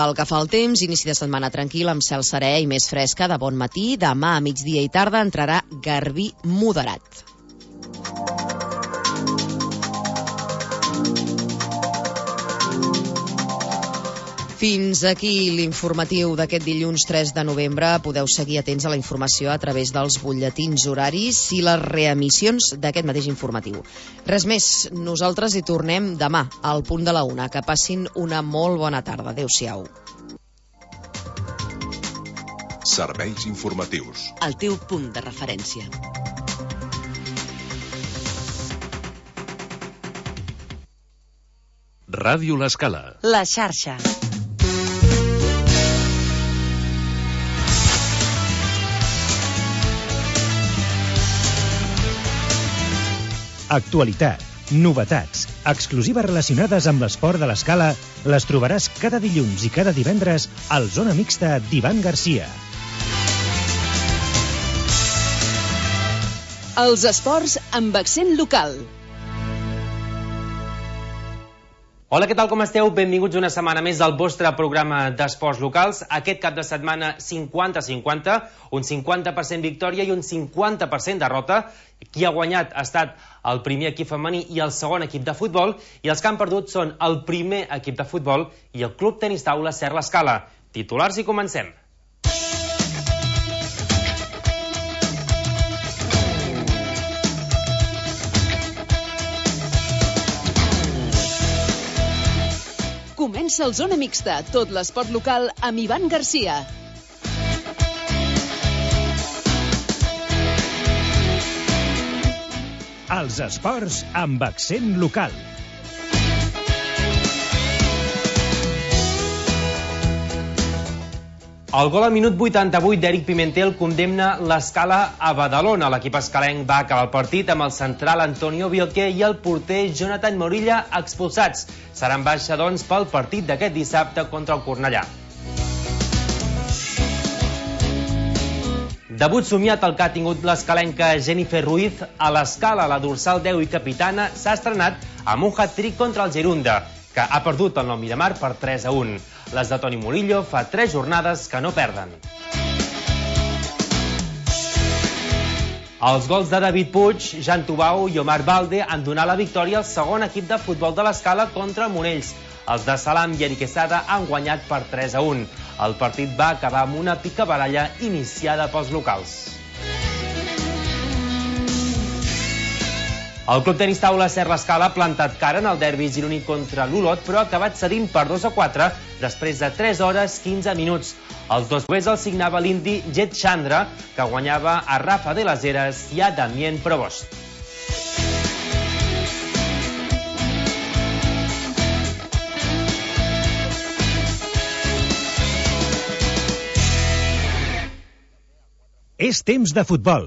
Pel que fa al temps, inici de setmana tranquil amb cel serè i més fresca de bon matí. Demà a migdia i tarda entrarà garbí moderat. Fins aquí l'informatiu d'aquest dilluns 3 de novembre. Podeu seguir atents a la informació a través dels butlletins horaris i les reemissions d'aquest mateix informatiu. Res més, nosaltres hi tornem demà al punt de la 1. Que passin una molt bona tarda. Adéu-siau. Serveis informatius. El teu punt de referència. Ràdio L'Escala. La xarxa. Actualitat, novetats, exclusives relacionades amb l'esport de l'Escala les trobaràs cada dilluns i cada divendres al Zona Mixta d'Ivan Garcia. Els esports amb accent local. Hola, què tal, com esteu? Benvinguts una setmana més al vostre programa d'esports locals. Aquest cap de setmana 50-50, un 50% victòria i un 50% derrota. Qui ha guanyat ha estat el primer equip femení i el segon equip de futbol, i els que han perdut són el primer equip de futbol i el Club Tenis Taula Ser l'Escala. Titulars i comencem. Comença el Zona Mixta, tot l'esport local amb Ivan Garcia. Els esports amb accent local. El gol al minut 88 d'Eric Pimentel condemna l'Escala a Badalona. L'equip escalenc va acabar el partit amb el central Antonio Bielke i el porter Jonathan Morilla expulsats. Seran baixa, doncs, pel partit d'aquest dissabte contra el Cornellà. Debut somiat el que ha tingut l'escalenca Jennifer Ruiz a l'Escala. La dorsal 10 i capitana s'ha estrenat amb un hat-trick contra el Gerunda, que ha perdut el Nou Miramar per 3-1. Les de Toni Murillo fa 3 jornades que no perden. Els gols de David Puig, Jan Tubau i Omar Balde han donat la victòria al segon equip de futbol de l'Escala contra Monells. Els de Salam i Eric Quesada han guanyat per 3-1. El partit va acabar amb una picabaralla iniciada pels locals. El Club Tenis Taula Ser l'Escala ha plantat cara en el derbi gironí contra l'Olot, però ha acabat cedint per 2-4 després de 3 hores 15 minuts. Els dos gols els signava l'indi Jet Chandra, que guanyava a Rafa de las Heras i a Damien Provost. És temps de futbol.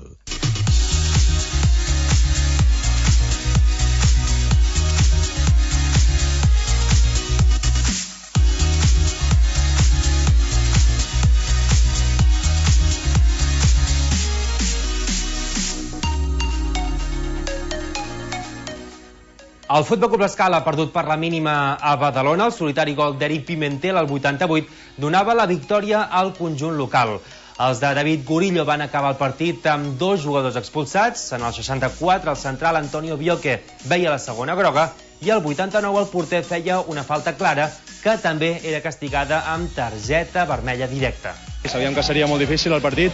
El Futbol Club Escala ha perdut per la mínima a Badalona. El solitari gol d'Eric Pimentel al 88 donava la victòria al conjunt local. Els de David Gurillo van acabar el partit amb 2 jugadors expulsats. En el 64 el central Antonio Bielke veia la segona groga i al 89 el porter feia una falta clara que també era castigada amb targeta vermella directa. Sabíem que seria molt difícil el partit,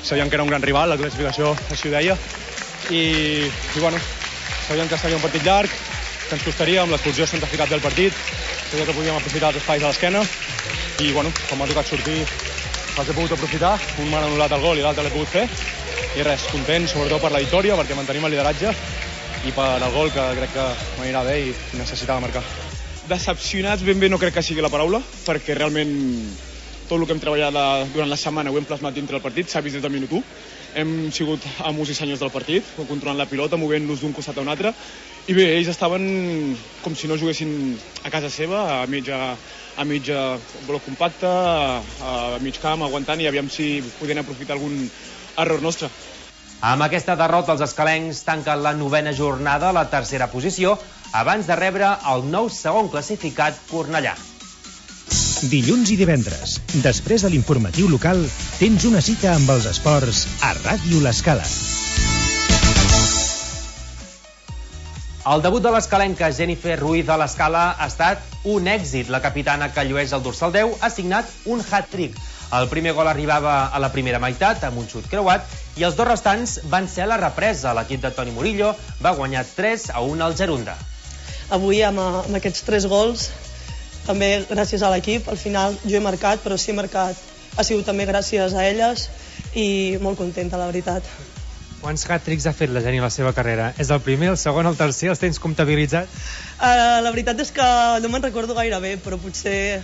sabíem que era un gran rival, la classificació així ho deia, i bueno, sabíem que seria un partit llarg, que ens costaria amb l'expulsió sense ficat del partit, sabíem que podíem aprofitar els espais a l'esquena i bueno, com m'ha tocat sortir els he pogut aprofitar, un m'ha anul·lat el gol i l'altre l'he pogut fer i res, content sobretot per la victòria perquè mantenim el lideratge i per el gol que crec que m'anirà bé i necessitava marcar. Decepcionats ben bé no crec que sigui la paraula, perquè realment tot el que hem treballat durant la setmana ho hem plasmat dintre del partit, s'ha vist des del minut 1. Hem sigut amos i senyors del partit, controlant la pilota, movent-nos d'un costat a un altre, i bé, ells estaven com si no juguessin a casa seva, a mig bloc compacte, a mig camp, aguantant, i aviam si podien aprofitar algun error nostre. Amb aquesta derrota, els escalencs tanquen la 9a jornada a la 3a posició, abans de rebre el nou segon classificat Cornellà. Dilluns i divendres, després de l'informatiu local, tens una cita amb els esports a Ràdio L'Escala. El debut de l'escalenca Jennifer Ruiz a l'Escala ha estat un èxit. La capitana que llueix el dorsal 10 ha signat un hat-trick. El primer gol arribava a la primera meitat amb un xut creuat i els dos restants van ser a la represa. L'equip de Toni Murillo va guanyar 3-1 al Gerunda. Avui amb aquests 3 gols, també gràcies a l'equip, al final jo he marcat, però si he marcat ha sigut també gràcies a elles i molt contenta, la veritat. Quants hat-tricks ha fet la Geni a la seva carrera? És el primer, el segon, el tercer? Els tens comptabilitzats? La veritat és que no me'n recordo gaire bé, però potser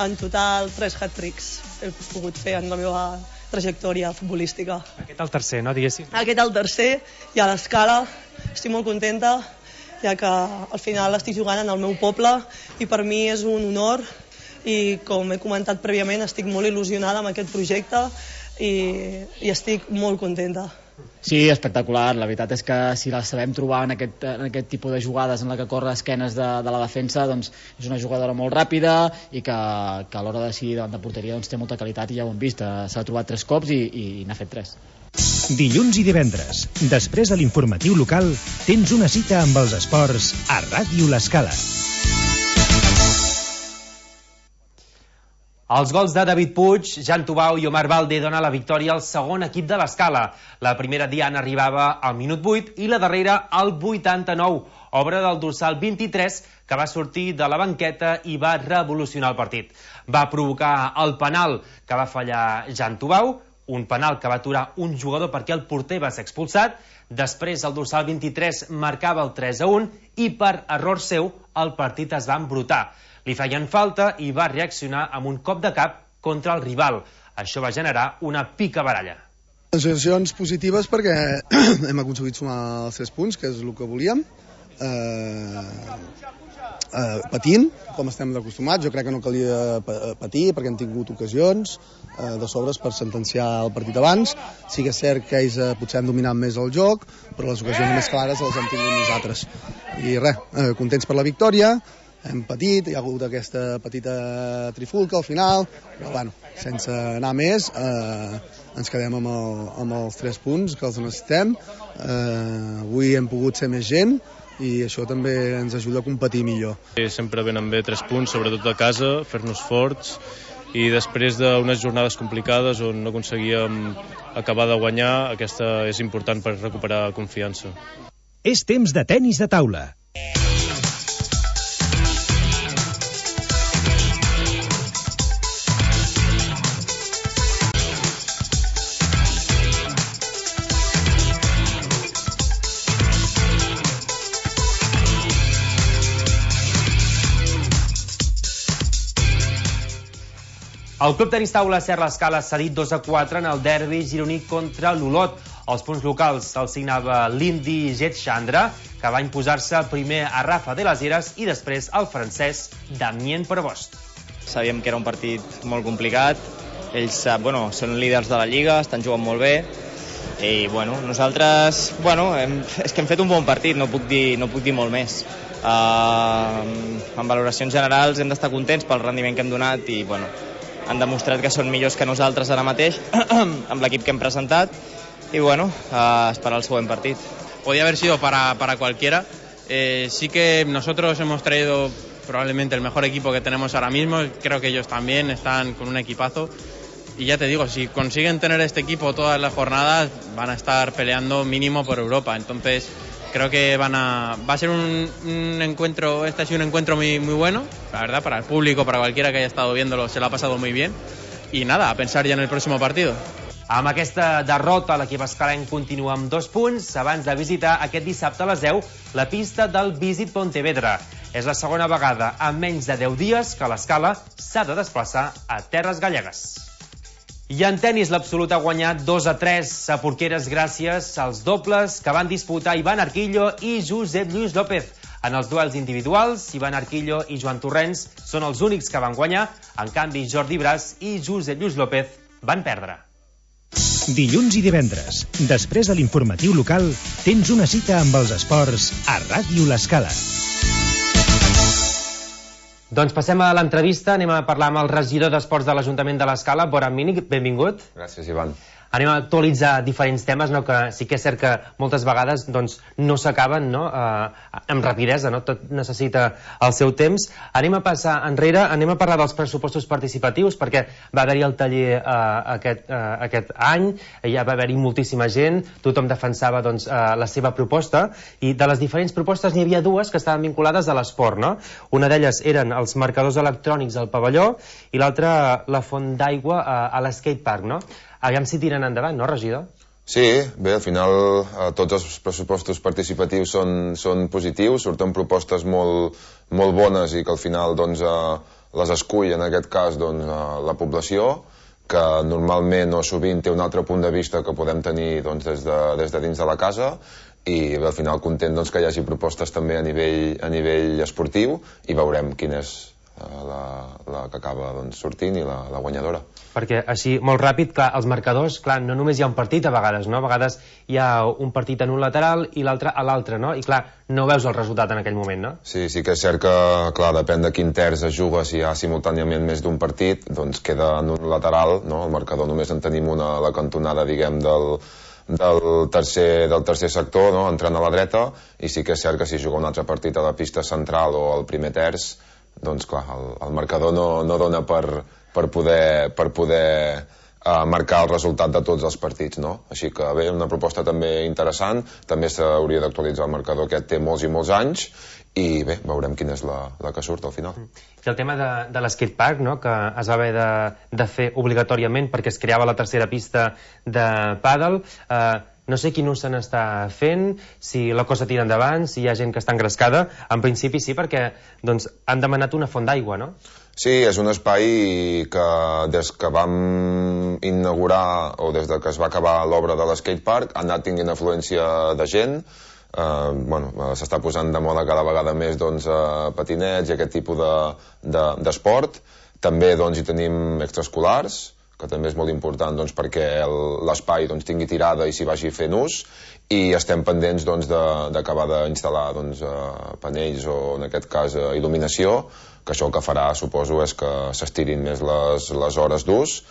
en total 3 hat-tricks he pogut fer en la meva trajectòria futbolística. Aquest el tercer, no, diguéssim? Aquest el tercer, i a l'Escala estic molt contenta, ja que al final estic jugant en el meu poble i per mi és un honor i, com he comentat prèviament, estic molt il·lusionada amb aquest projecte i estic molt contenta. Sí, espectacular. La veritat és que si la sabem trobar en aquest tipus de jugades en la que corre esquenes de la defensa, doncs és una jugadora molt ràpida i que a l'hora de decidir davant de porteria doncs, té molta qualitat i ja ho hem vist. S'ha trobat 3 cops i n'ha fet 3. Dilluns i divendres, després de l'informatiu local, tens una cita amb els esports a Ràdio L'Escala. Els gols de David Puig, Jan Tubau i Omar Balde donen la victòria al segon equip de l'Escala. La primera diana arribava al minut 8 i la darrera al 89, obra del dorsal 23, que va sortir de la banqueta i va revolucionar el partit. Va provocar el penal que va fallar Jan Tubau, un penal que va aturar un jugador perquè el porter va ser expulsat. Després el dorsal 23 marcava el 3-1 i per error seu el partit es va embrutar. Li feien falta i va reaccionar amb un cop de cap contra el rival. Això va generar una picabaralla. Sensacions positives perquè hem aconseguit sumar els 3 punts, que és el que volíem. Patint, com estem acostumats. Jo crec que no calia patir perquè hem tingut ocasions de sobres per sentenciar el partit abans. Sí que és cert que ells potser han dominat més el joc, però les ocasions més clares les hem tingut nosaltres. I res, contents per la victòria. Hem patit, hi ha hagut aquesta petita trifulca al final, però bueno, sense anar més, ens quedem amb els 3 punts que els necessitem. Avui hem pogut ser més gent i això també ens ajuda a competir millor. Sempre venen bé 3 punts, sobretot a casa, fer-nos forts, i després d'unes jornades complicades on no aconseguíem acabar de guanyar, aquesta és important per recuperar confiança. És temps de tenis de taula. El Club Tenis Taula Serra Escala s'ha dit 2-4 en el derbi gironí contra l'Olot. Els punts locals se'ls signava l'indi Jet Chandra, que va imposar-se primer a Rafa de las Heras i després al francès Damien Prevost. Sabíem que era un partit molt complicat. Ells són líders de la Lliga, estan jugant molt bé. I nosaltres és que hem fet un bon partit, no puc dir molt més. En valoracions generals hem d'estar contents pel rendiment que hem donat i han demostrat que són millors que nosaltres ara mateix amb l'equip que hem presentat y esperar el següent partit. Podía haber sido para cualquiera. Sí que nosotros hemos traído probablemente el mejor equipo que tenemos ahora mismo. Creo que ellos también están con un equipazo. Y ya te digo, si consiguen tener este equipo todas las jornadas, van a estar peleando mínimo por Europa. Entonces, creo que va a ser un encuentro, este ha sido un encuentro muy, muy bueno, la verdad, para el público, para cualquiera que haya estado viéndolo, se lo ha pasado muy bien. Y nada, a pensar ya en el próximo partido. Amb aquesta derrota, l'equip escalenc continua amb 2 punts abans de visitar aquest dissabte a les 10 la pista del Visit Pontevedra. És la segona vegada en menys de 10 dies que l'Escala s'ha de desplaçar a terres gallegues. I en tenis l'Absolut ha guanyat 2-3 a Porqueres gràcies als dobles que van disputar Ivan Arquillo i Josep Lluís López. En els duels individuals, Ivan Arquillo i Joan Torrents són els únics que van guanyar, en canvi Jordi Bras i Josep Lluís López van perdre. Dilluns i divendres, després de l'informatiu local, tens una cita amb els esports a Ràdio L'Escala. Doncs passem a l'entrevista, anem a parlar amb el regidor d'Esports de l'Ajuntament de l'Escala, Bora Mínic, benvingut. Gràcies, Ivan. Anem a actualitzar diferents temes, no? Que sí que és cert que moltes vegades doncs, no s'acaben, no? Amb rapidesa, no? Tot necessita el seu temps. Anem a passar enrere, anem a parlar dels pressupostos participatius, perquè va haver-hi el taller aquest any, ja va haver-hi moltíssima gent, tothom defensava doncs, la seva proposta, i de les diferents propostes n'hi havia dues que estaven vinculades a l'esport, no? Una d'elles eren els marcadors electrònics al pavelló i l'altra la font d'aigua a l'escatepark, no? Aviam si tiren endavant, no, regidor? Sí, bé, al final tots els pressupostos participatius són positius, surten propostes molt bones i que al final doncs, les escull, en aquest cas, doncs, la població, que normalment o sovint té un altre punt de vista que podem tenir doncs, des de dins de la casa, i bé, al final content doncs, que hi hagi propostes també a nivell esportiu i veurem quina és la que acaba doncs, sortint i la guanyadora. Perquè així, molt ràpid, clar, els marcadors, clar, no només hi ha un partit a vegades, no? A vegades hi ha un partit en un lateral i l'altre a l'altre, no? I clar, no veus el resultat en aquell moment, no? Sí que és cert que, clar, depèn de quin terç es juga, si hi ha simultàniament més d'un partit, doncs queda en un lateral, no? El marcador només en tenim una a la cantonada, diguem, del tercer sector, no? Entrant a la dreta, i sí que és cert que si juga un altre partit a la pista central o al primer terç, doncs clar, el marcador no dona per poder marcar el resultat de tots els partits, no? Així que bé, una proposta també interessant, també s'hauria d'actualitzar el marcador, aquest té molts i molts anys, i bé, veurem quina és la que surt al final. I el tema de l'escatepark, no? Que es va haver de fer obligatòriament perquè es creava la tercera pista de pàdel, no sé quin ús se n'està fent, si la cosa tira endavant, si hi ha gent que està engrescada. En principi sí, perquè doncs, han demanat una font d'aigua, no? Sí, és un espai que des que vam inaugurar o des que es va acabar l'obra de l'escatepark ha anat tinguent afluència de gent. S'està posant de moda cada vegada més doncs, patinets i aquest tipus d'esport. També doncs, hi tenim extraescolars, que també és molt important doncs, perquè l'espai doncs, tingui tirada i s'hi vagi fent ús, i estem pendents doncs, d'acabar d'instal·lar doncs, panells o, en aquest cas, il·luminació, que això el que farà, suposo, és que s'estirin més les hores d'ús,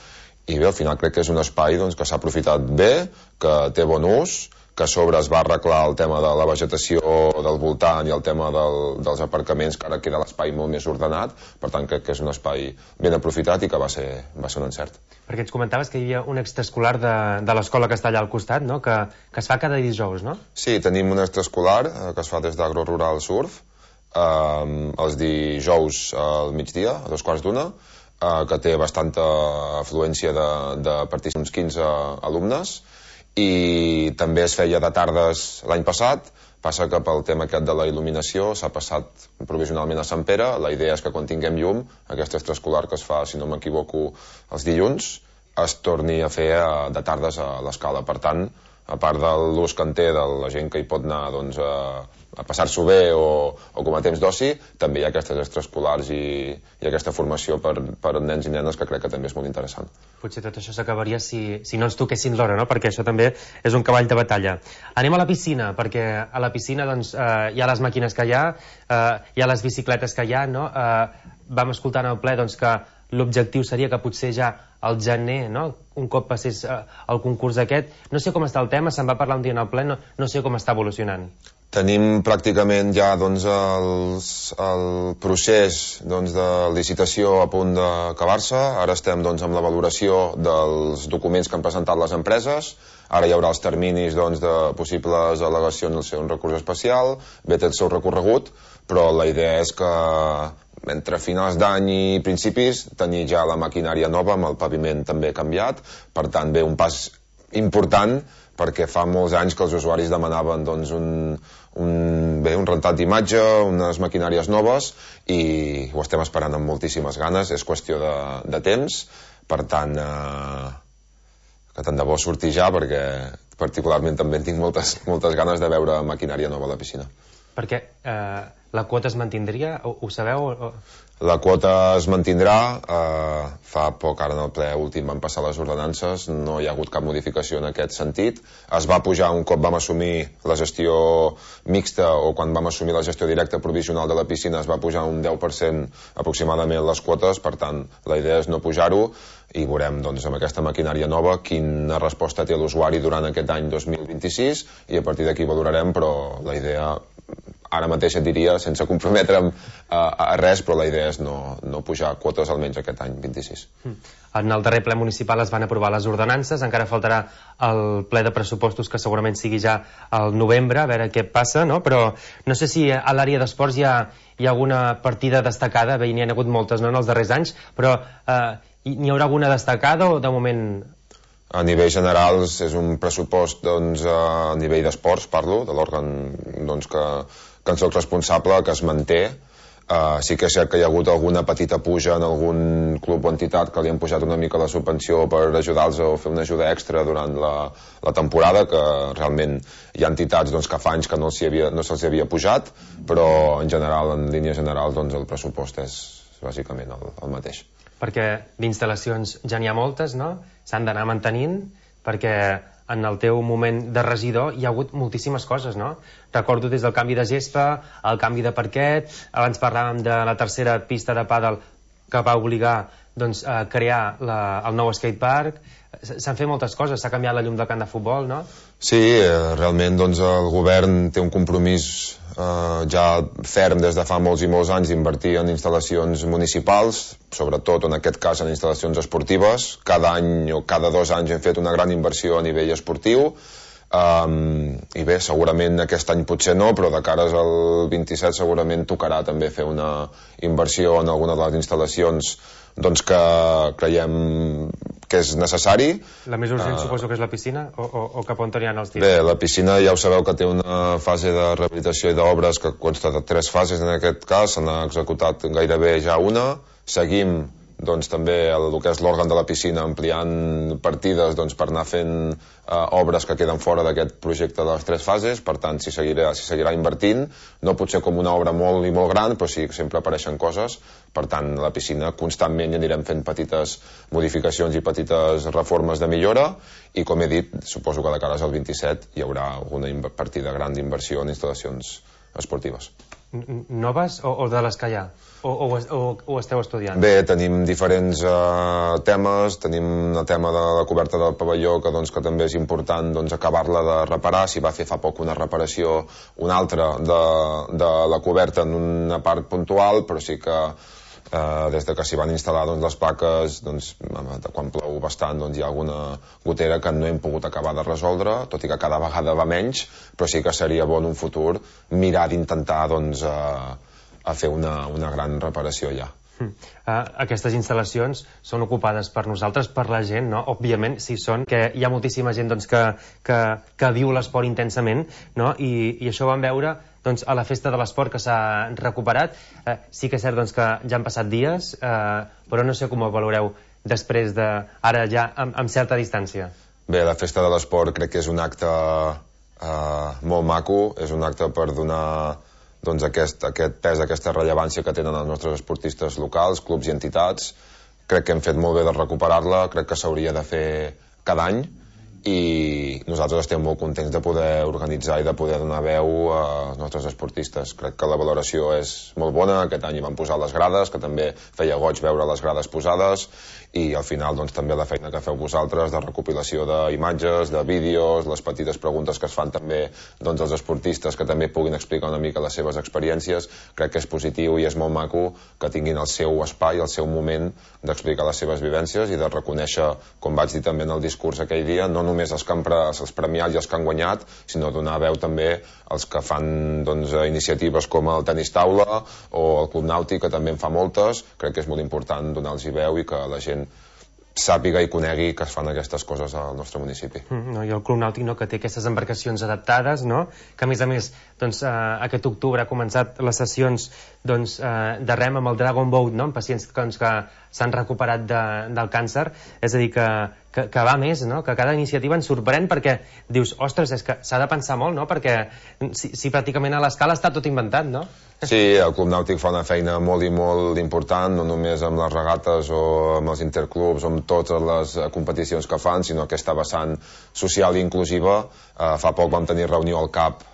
i bé, al final crec que és un espai doncs, que s'ha aprofitat bé, que té bon ús, que a sobre es va arreglar el tema de la vegetació del voltant i el tema dels aparcaments, que ara queda l'espai molt més ordenat, per tant crec que és un espai ben aprofitat i que va ser un encert. Perquè ens comentaves que hi havia un extraescolar de l'escola que està allà al costat, no? Que es fa cada dijous, no? Sí, tenim un extraescolar que es fa des d'Agro Rural Surf, els dijous al migdia, a 2:15, que té bastanta afluència de participants, uns 15 alumnes, i també es feia de tardes l'any passat. Passa que pel tema aquest de la il·luminació s'ha passat provisionalment a Sant Pere. La idea és que quan tinguem llum, aquest extraescolar que es fa, si no m'equivoco, els dilluns, es torni a fer de tardes a l'Escala. Per tant, a part de l'ús que en té de la gent que hi pot anar doncs, a passar-s'ho bé o com a temps d'oci, també hi ha aquestes extraescolars i aquesta formació per nens i nenes que crec que també és molt interessant. Potser tot això s'acabaria si no ens toquessin l'hora, no? Perquè això també és un cavall de batalla. Anem a la piscina, perquè a la piscina doncs, hi ha les màquines que hi ha les bicicletes que hi ha, no? Vam escoltar en el ple doncs, que l'objectiu seria que potser ja al gener, no? Un cop passés el concurs aquest. No sé com està el tema, se'n va parlar un dia en el ple, no sé com està evolucionant. Tenim pràcticament ja doncs, el procés doncs, de licitació a punt d'acabar-se. Ara estem doncs, amb la valoració dels documents que han presentat les empreses. Ara hi haurà els terminis doncs, de possibles al·legacions al ser un recurs especial. Bé, té el seu recorregut, però la idea és que entre finals d'any i principis tenir ja la maquinària nova amb el paviment també canviat. Per tant, bé, un pas important, perquè fa molts anys que els usuaris demanaven doncs, un rentat d'imatge, unes maquinàries noves, i ho estem esperant amb moltíssimes ganes. És qüestió de temps, per tant, que tant de bo surti ja, perquè particularment també tinc moltes ganes de veure maquinària nova a la piscina. Perquè la quota es mantindria? Ho sabeu? La quota es mantindrà. Fa poc, ara en el ple últim van passar les ordenances, no hi ha hagut cap modificació en aquest sentit. Es va pujar un cop vam assumir la gestió mixta, o quan vam assumir la gestió directa provisional de la piscina es va pujar un 10% aproximadament les quotes, per tant la idea és no pujar-ho, i veurem doncs, amb aquesta maquinària nova quina resposta té l'usuari durant aquest any 2026, i a partir d'aquí valorarem, però la idea ara mateix et diria, sense comprometre'm a res, però la idea és no pujar quotes almenys aquest any 26. En el darrer ple municipal es van aprovar les ordenances, encara faltarà el ple de pressupostos, que segurament sigui ja al novembre, a veure què passa, no? Però no sé si a l'àrea d'esports hi ha alguna partida destacada, bé, n'hi ha hagut moltes, no?, en els darrers anys, però n'hi haurà alguna destacada o de moment... A nivell general és un pressupost, doncs, a nivell d'esports, parlo, de l'òrgan doncs, que en soc responsable, que es manté. Sí que és cert que hi ha hagut alguna petita puja en algun club o entitat que li han pujat una mica la subvenció per ajudar-los a fer una ajuda extra durant la temporada, que realment hi ha entitats doncs, que fa anys que no se'ls havia pujat, però en general, en línia general, doncs, el pressupost és bàsicament el mateix. Perquè d'instal·lacions ja n'hi ha moltes, no? S'han d'anar mantenint, perquè en el teu moment de regidor hi ha hagut moltíssimes coses, no? Recordo des del canvi de gespa, el canvi de parquet, abans parlàvem de la tercera pista de pàdel que va obligar doncs, a crear el nou skatepark. S'han fet moltes coses, s'ha canviat la llum del camp de futbol, no? Sí, realment doncs, el govern té un compromís ja ferm des de fa molts i molts anys d'invertir en instal·lacions municipals, sobretot en aquest cas en instal·lacions esportives. Cada any o cada 2 anys hem fet una gran inversió a nivell esportiu, i bé, segurament aquest any potser no, però de cares al 27 segurament tocarà també fer una inversió en alguna de les instal·lacions doncs que creiem que és necessari. La més urgent suposo que és la piscina, o cap on hi ha els tirs? Bé, la piscina ja ho sabeu que té una fase de rehabilitació i d'obres que consta de 3 fases en aquest cas, se n'ha executat gairebé ja una. Seguim doncs també el que és l'òrgan de la piscina ampliant partides doncs, per anar fent obres que queden fora d'aquest projecte de les 3 fases, per tant s'hi seguirà invertint, no potser com una obra molt i molt gran, però sí que sempre apareixen coses. Per tant, la piscina constantment hi anirem fent petites modificacions i petites reformes de millora, i com he dit, suposo que de cares al 27 hi haurà alguna partida gran d'inversió en instal·lacions esportives. Noves o de les que hi ha? O esteu estudiant? Bé, tenim diferents temes. Tenim el tema de la coberta del pavelló, que també és important acabar-la de reparar. S'hi va fer fa poc una reparació, una altra de la coberta en una part puntual, però sí que des de que s'hi van instal·lar les plaques, quan plou bastant hi ha alguna gotera que no hem pogut acabar de resoldre, tot i que cada vegada va menys, però sí que seria bo en un futur mirar d'intentar a fer una gran reparació allà. Aquestes instal·lacions són ocupades per nosaltres, per la gent, no? Òbviament, sí són, que hi ha moltíssima gent que viu l'esport intensament, no? I això vam veure a la festa de l'esport que s'ha recuperat. Sí que és cert que ja han passat dies, però no sé com ho valoreu després ara ja amb certa distància. Bé, la festa de l'esport crec que és un acte molt maco, és un acte per donar aquest pes, aquesta rellevància que tenen els nostres esportistes locals, clubs i entitats. Crec que hem fet molt bé de recuperar-la, crec que s'hauria de fer cada any, i nosaltres estem molt contents de poder organitzar i de poder donar veu als nostres esportistes. Crec que la valoració és molt bona. Aquest any hi van posar les grades, que també feia goig veure les grades posades, i al final també la feina que feu vosaltres de recopilació d'imatges, de vídeos, les petites preguntes que es fan també als esportistes, que també puguin explicar una mica les seves experiències. Crec que és positiu i és molt maco que tinguin el seu espai, el seu moment d'explicar les seves vivències i de reconèixer, com vaig dir també en el discurs aquell dia, no només els premiats i els que han guanyat, sinó donar veu també als que fan iniciatives com el tenis taula o el Club Nàutic, que també en fa moltes. Crec que és molt important donar-los veu i que la gent sàpiga i conegui que es fan aquestes coses al nostre municipi. I el Club Nàutic, que té aquestes embarcacions adaptades, que a més aquest octubre ha començat les sessions de rem amb el Dragon Boat, amb pacients que s'han recuperat del càncer. És a dir, que va més, que cada iniciativa ens sorprèn, perquè dius, ostres, és que s'ha de pensar molt, perquè si pràcticament a l'escala està tot inventat, no? Sí, el Club Nàutic fa una feina molt i molt important, no només amb les regates o amb els interclubs o amb totes les competicions que fan, sinó aquesta vessant social i inclusiva. Fa poc vam tenir reunió al CAP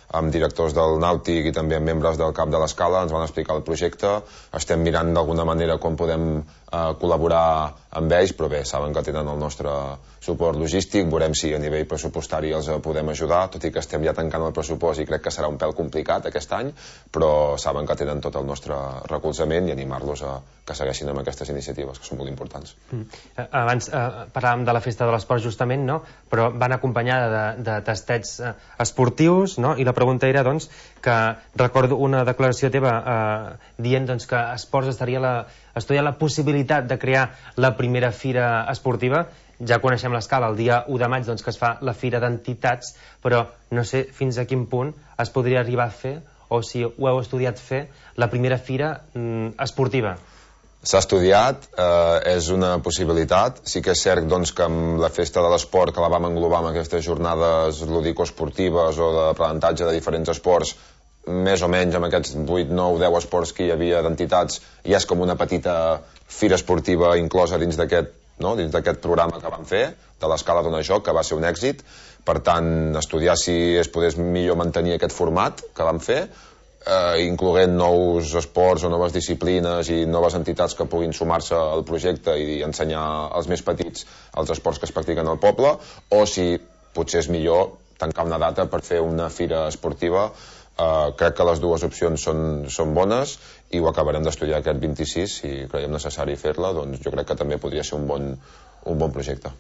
amb directors del Nàutic i també amb membres del CAP de l'Escala, ens van explicar el projecte, estem mirant d'alguna manera com podem col·laborar amb ells, però bé, saben que tenen el nostre suport logístic, veurem si a nivell pressupostari els podem ajudar, tot i que estem ja tancant el pressupost i crec que serà un pèl complicat aquest any, però saben que tenen tot el nostre recolzament i animar-los a que segueixin amb aquestes iniciatives, que són molt importants. Abans parlàvem de la Festa de l'Esport justament, no? Però van acompanyada de tastets esportius, no? I la pregunta era, doncs, que recordo una declaració teva dient doncs, que Esports estudia la possibilitat de crear la primera fira esportiva. Ja coneixem l'Escala, el dia 1 de maig doncs, que es fa la fira d'entitats, però no sé fins a quin punt es podria arribar a fer, o si ho heu estudiat fer, la primera fira esportiva. S'ha estudiat, és una possibilitat. Sí que és cert doncs, que amb la Festa de l'Esport, que la vam englobar amb aquestes jornades ludico-esportives o d'aprenentatge de diferents esports, més o menys amb aquests 8, 9, 10 esports que hi havia d'entitats, ja és com una petita fira esportiva inclosa dins d'aquest programa que vam fer, de l'Escala Dona Joc, que va ser un èxit. Per tant, estudiar si es podés millor mantenir aquest format que vam fer, incloent nous esports o noves disciplines i noves entitats que puguin sumar-se al projecte i ensenyar als més petits els esports que es practiquen al poble, o si potser és millor tancar una data per fer una fira esportiva. Crec que les dues opcions són bones i ho acabarem d'estudiar aquest 26. Si creiem necessari fer-la, doncs jo crec que també podria ser un bon projecte.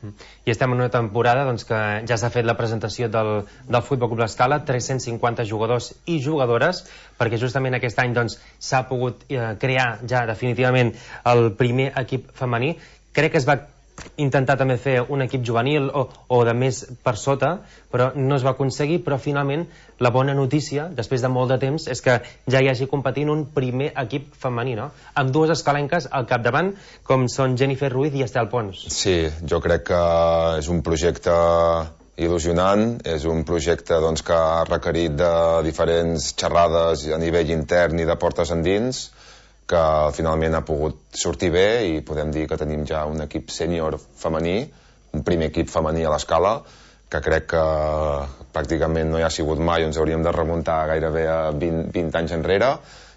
I estem en una temporada doncs, que ja s'ha fet la presentació del Futbol Club l'Escala, 350 jugadors i jugadores, perquè justament aquest any s'ha pogut crear ja definitivament el primer equip femení. Crec que es va intentar també fer un equip juvenil o de més per sota, però no es va aconseguir. Però finalment la bona notícia, després de molt de temps, és que ja hi hagi competint un primer equip femení, no? Amb dues escalenques al capdavant, com són Jennifer Ruiz i Estel Pons. Sí, jo crec que és un projecte il·lusionant, és un projecte que ha requerit de diferents xerrades a nivell intern i de portes endins, que finalment ha pogut sortir bé i podem dir que tenim ja un equip sènior femení, un primer equip femení a l'Escala, que crec que pràcticament no hi ha sigut mai, ens hauríem de remuntar gairebé a 20 anys enrere.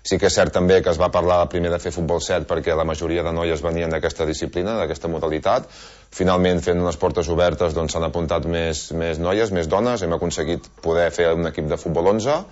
Sí que és cert també que es va parlar primer de fer futbol 7 perquè la majoria de noies venien d'aquesta disciplina, d'aquesta modalitat. Finalment, fent unes portes obertes, s'han apuntat més noies, més dones, hem aconseguit poder fer un equip de futbol 11,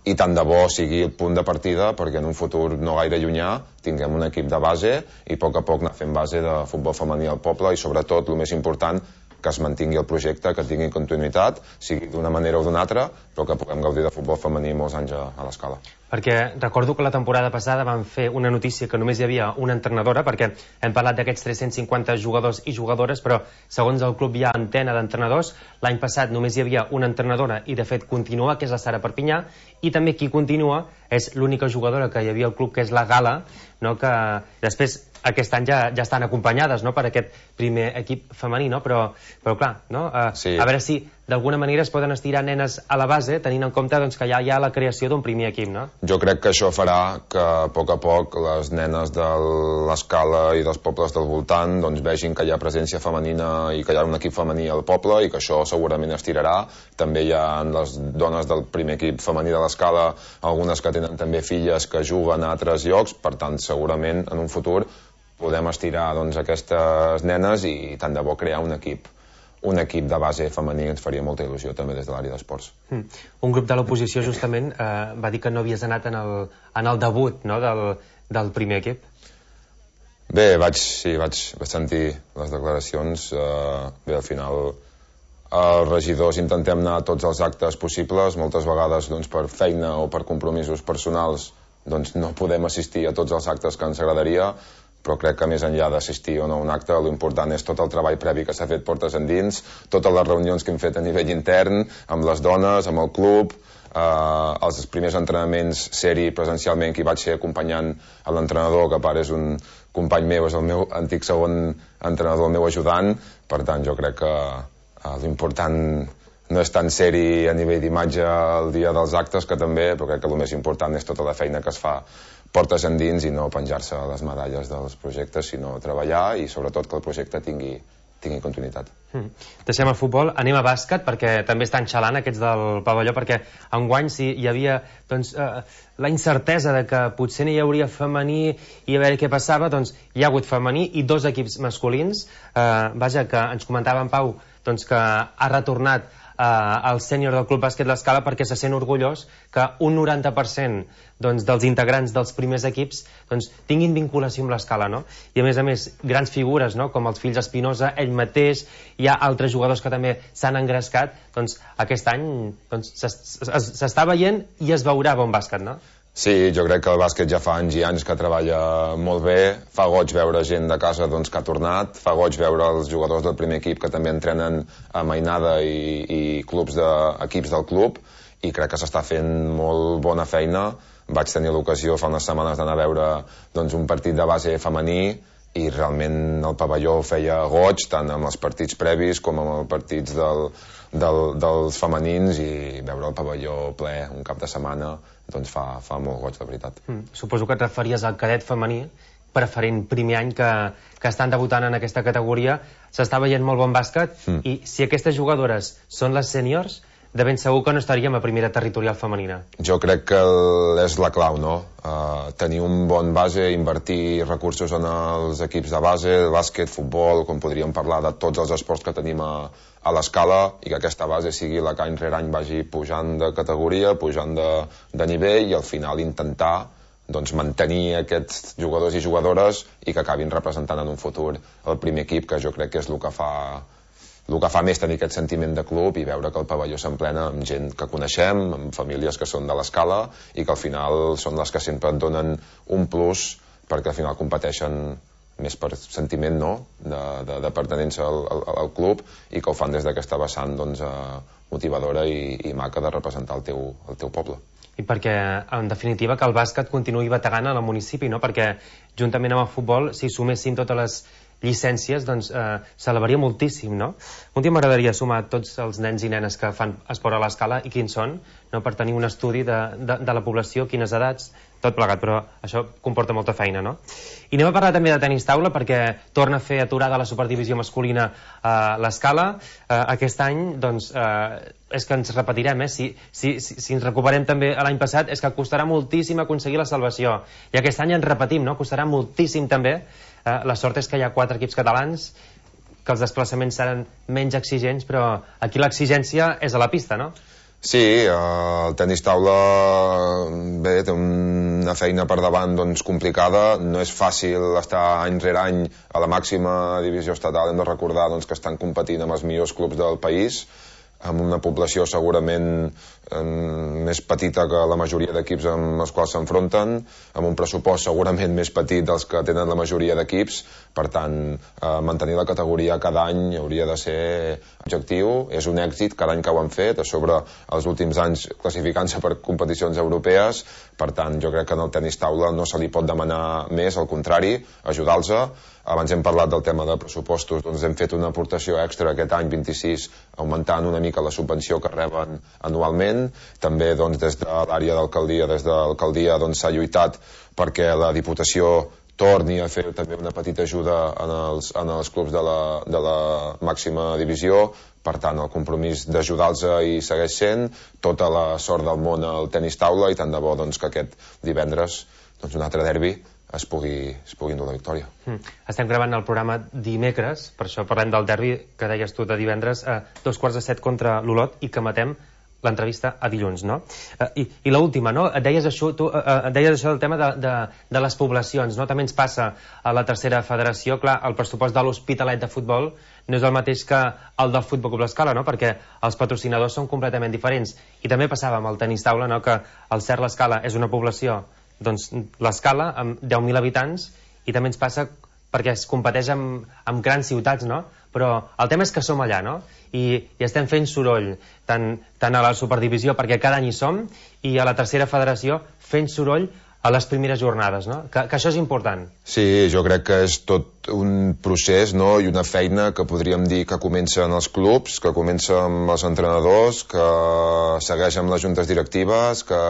i tant de bo sigui el punt de partida perquè en un futur no gaire llunyà tinguem un equip de base i a poc anar fent base de futbol femení al poble i sobretot, el més important, que es mantingui el projecte, que tingui continuïtat, sigui d'una manera o d'una altra, però que puguem gaudir de futbol femení molts anys a l'Escala. Perquè recordo que la temporada passada vam fer una notícia que només hi havia una entrenadora, perquè hem parlat d'aquests 350 jugadors i jugadores, però segons el club hi ha antena d'entrenadors. L'any passat només hi havia una entrenadora i de fet continua, que és la Sara Perpinyà, i també qui continua és l'única jugadora que hi havia al club, que és la Gala, no? Que després aquest any ja estan acompanyades, no? Per aquest primer equip femení, no? Però clar, no? Sí. A veure si d'alguna manera es poden estirar nenes a la base tenint en compte que ja hi ha la creació d'un primer equip, no? Jo crec que això farà que a poc les nenes de l'Escala i dels pobles del voltant vegin que hi ha presència femenina i que hi ha un equip femení al poble i que això segurament estirarà. També hi ha les dones del primer equip femení de l'Escala, algunes que tenen també filles que juguen a altres llocs, per tant segurament en un futur podem estirar aquestes nenes i tant de bo crear un equip de base femení ens faria molta il·lusió també des de l'àrea d'esports. Un grup de l'oposició justament va dir que no havies anat en el debut, no? del primer equip. Bé, vaig sentir les declaracions. Bé, al final els regidors intentem anar a tots els actes possibles, moltes vegades per feina o per compromisos personals no podem assistir a tots els actes que ens agradaria, però crec que més enllà d'assistir o no a un acte, l'important és tot el treball previ que s'ha fet portes endins, totes les reunions que hem fet a nivell intern, amb les dones, amb el club, els primers entrenaments, ser-hi presencialment, que hi vaig ser acompanyant a l'entrenador, que a part és un company meu, és el meu antic segon entrenador, el meu ajudant. Per tant, jo crec que l'important no és tan seri a nivell d'imatge el dia dels actes, que també, però crec que el més important és tota la feina que es fa portes endins i no penjar-se les medalles dels projectes, sinó treballar i sobretot que el projecte tingui continuïtat. Deixem el futbol, anem a bàsquet, perquè també estan xalant aquests del pavelló, perquè enguany si hi havia la incertesa de que potser n'hi hauria femení i a veure què passava, doncs hi ha hagut femení i 2 equips masculins. Vaja, que ens comentava en Pau que ha retornat al sènior del Club Bàsquet L'Escala perquè se sent orgullós que un 90% dels integrants dels primers equips tinguin vinculació amb l'Escala, no? I a més, grans figures, no? Com els fills Espinosa, ell mateix, hi ha altres jugadors que també s'han engrescat, doncs aquest any s'està veient i es veurà bon bàsquet, no? Sí, jo crec que el bàsquet ja fa anys i anys que treballa molt bé, fa goig veure gent de casa que ha tornat, fa goig veure els jugadors del primer equip que també entrenen a Mainada i equips del club, i crec que s'està fent molt bona feina. Vaig tenir l'ocasió fa unes setmanes d'anar a veure un partit de base femení i realment el pavelló feia goig, tant amb els partits previs com amb els partits dels femenins, i veure el pavelló ple un cap de setmana fa molt goig, de veritat. Suposo que et referies al cadet femení, preferent primer any que estan debutant en aquesta categoria. S'està veient molt bon bàsquet, i si aquestes jugadores són les sèniors, de ben segur que no estaríem a primera territorial femenina. Jo crec que és la clau, no? Tenir un bon base, invertir recursos en els equips de base, bàsquet, futbol, com podríem parlar de tots els esports que tenim a l'Escala, i que aquesta base sigui la que any rere any vagi pujant de categoria, pujant de nivell, i al final intentar mantenir aquests jugadors i jugadores i que acabin representant en un futur el primer equip, que jo crec que és el que fa més tenir aquest sentiment de club i veure que el pavelló s'emplena amb gent que coneixem, amb famílies que són de l'Escala i que al final són les que sempre et donen un plus, perquè al final competeixen més per sentiment, no?, de pertinença al club, i que ho fan des d'aquesta vessant motivadora i maca de representar el teu poble. I perquè, en definitiva, que el bàsquet continuï bategant en el municipi, no? Perquè juntament amb el futbol, si sumessin totes les llicències, doncs s'elevaria moltíssim, no? Un dia m'agradaria sumar tots els nens i nenes que fan esport a l'Escala i quins són, no? Per tenir un estudi de la població, quines edats, tot plegat, però això comporta molta feina, no? I anem a parlar també de tenis taula, perquè torna a fer aturada la superdivisió masculina a l'Escala. Aquest any, doncs, és que ens repetirem, si ens recuperem també l'any passat, és que costarà moltíssim aconseguir la salvació. I aquest any ens repetim, no? Costarà moltíssim també. La sort és que hi ha 4 equips catalans, que els desplaçaments seran menys exigents, però aquí l'exigència és a la pista, no? Sí, el tenis taula bé, té una feina per davant complicada, no és fàcil estar any rere any a la màxima divisió estatal. Hem de recordar que estan competint amb els millors clubs del país, amb una població segurament més petita que la majoria d'equips amb els quals s'enfronten, amb un pressupost segurament més petit dels que tenen la majoria d'equips. Per tant, mantenir la categoria cada any hauria de ser objectiu. És un èxit cada any que ho han fet, a sobre els últims anys classificant-se per competicions europees. Per tant, jo crec que en el tenis taula no se li pot demanar més, al contrari, ajudar-los. Abans hem parlat del tema de pressupostos, doncs hem fet una aportació extra aquest any 26, augmentant una mica la subvenció que reben anualment. També des de l'àrea d'alcaldia, des de l'alcaldia s'ha lluitat perquè la Diputació torni a fer també una petita ajuda en els clubs de la màxima divisió. Per tant, el compromís d'ajudar-los hi segueix sent. Tota la sort del món al tenis taula, i tant de bo que aquest divendres un altre derbi es pugui endur la victòria. Estem gravant el programa dimecres, per això parlem del derbi que deies tu de divendres, a 6:45 contra l'Olot, i que matem l'entrevista a dilluns, no? I l'última, no? Deies això del tema de les poblacions, no? També ens passa a la tercera federació. Clar, el pressupost de l'Hospitalet de futbol no és el mateix que el del Futbol Club L'Escala, no? Perquè els patrocinadors són completament diferents. I també passava amb el tenis taula, no? Que el CERT L'Escala és una població, doncs l'Escala, amb 10.000 habitants, i també ens passa perquè es competeix amb grans ciutats, no? Però el tema és que som allà, no? I estem fent soroll, tant a la superdivisió, perquè cada any hi som, i a la tercera federació fent soroll a les primeres jornades, no? Que això és important. Sí, jo crec que és tot un procés, no?, i una feina que podríem dir que comença en els clubs, que comença amb els entrenadors, que segueix amb les juntes directives, que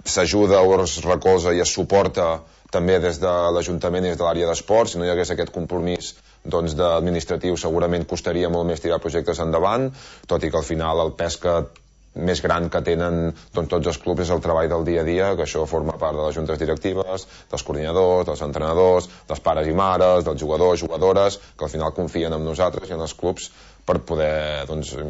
s'ajuda o es recolza i es suporta també des de l'Ajuntament i des de l'àrea d'esports. Si no hi hagués aquest compromís administratiu, segurament costaria molt més tirar projectes endavant, tot i que al final el pes més gran que tenen tots els clubs és el treball del dia a dia, que això forma part de les juntes directives, dels coordinadors, dels entrenadors, dels pares i mares, dels jugadors, jugadores, que al final confien en nosaltres i en els clubs per poder